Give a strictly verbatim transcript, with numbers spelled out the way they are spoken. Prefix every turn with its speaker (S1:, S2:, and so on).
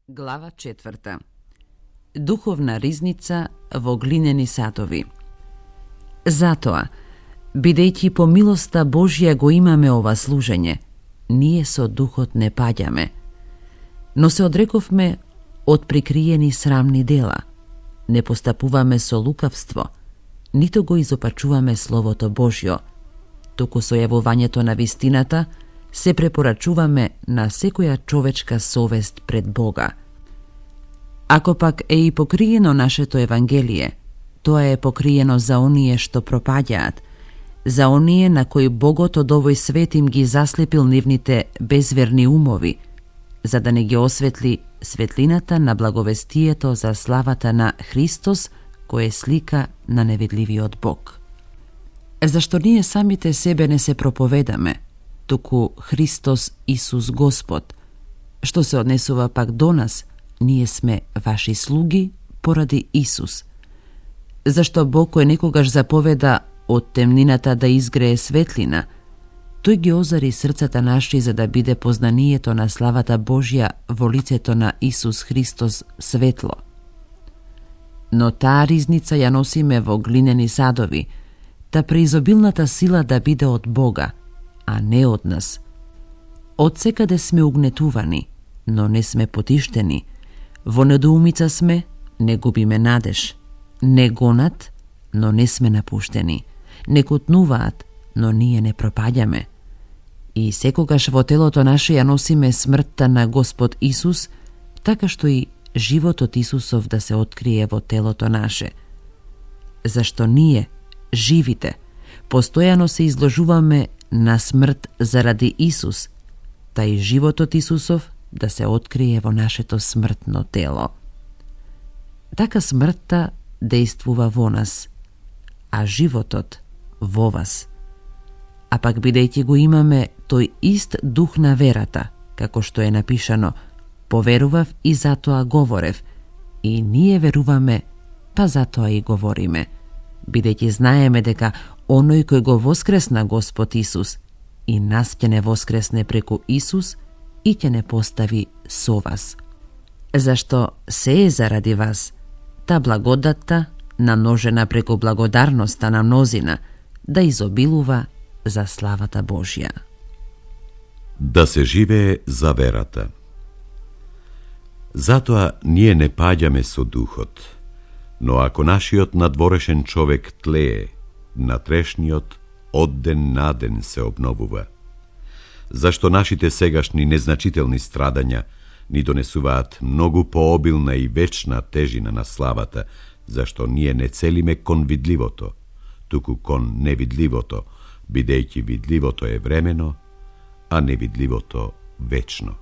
S1: Глава четврта. Духовна ризница во глинени садови. Затоа, бидејќи по милоста Божја го имаме ова служење, ние со духот не паѓаме, но се одрековме од прикриени срамни дела, не постапуваме со лукавство, ниту го изопачуваме Словото Божјо, туку со јавувањето на вистината се препорачуваме на секоја човечка совест пред Бога. Ако пак е и покриено нашето Евангелие, тоа е покриено за оние што пропаѓаат, за оние на кои Богот од овој свет им ги заслепил нивните безверни умови, за да не ги осветли светлината на благовестието за славата на Христос, кој е слика на невидливиот Бог. Зашто ние самите себе не се проповедаме, туку Христос Исус Господ. Што се однесува пак до нас, ние сме ваши слуги поради Исус. Зашто Бог кој некогаш заповеда од темнината да изгрее светлина, тој ги озари срцата наши за да биде познанието на славата Божја во лицето на Исус Христос светло. Но таа ризница ја носиме во глинени садови, та преизобилната сила да биде од Бога, а не од нас. Од секаде сме угнетувани, но не сме потиштени. Во недоумица сме, не губиме надеж. Не гонат, но не сме напуштени. Не кутнуваат, но ние не пропаѓаме. И секогаш во телото наше ја носиме смртта на Господ Исус, така што и животот Исусов да се открие во телото наше. Зашто ние, живите, постојано се изложуваме на смрт заради Исус, та и животот Исусов да се открие во нашето смртно тело. Така смртта дејствува во нас, а животот во вас. А пак бидејќи го имаме тој ист дух на верата, како што е напишано, поверував и затоа говорев, и ние веруваме, па затоа и говориме, бидејќи знаеме дека оној кој го воскресна Господ Исус и нас ќе не воскресне преку Исус и ќе не постави со вас. Зашто се е заради вас, та благодатта, намножена преку благодарноста на мнозина, да изобилува за славата Божја.
S2: Да се живее за верата. Затоа ние не паѓаме со духот, но ако нашиот надворешен човек тлее, натрешниот од ден на ден се обновува. Зашто нашите сегашни незначителни страдања ни донесуваат многу пообилна и вечна тежина на славата, зашто ние не целиме кон видливото, туку кон невидливото, бидејќи видливото е времено, а невидливото вечно.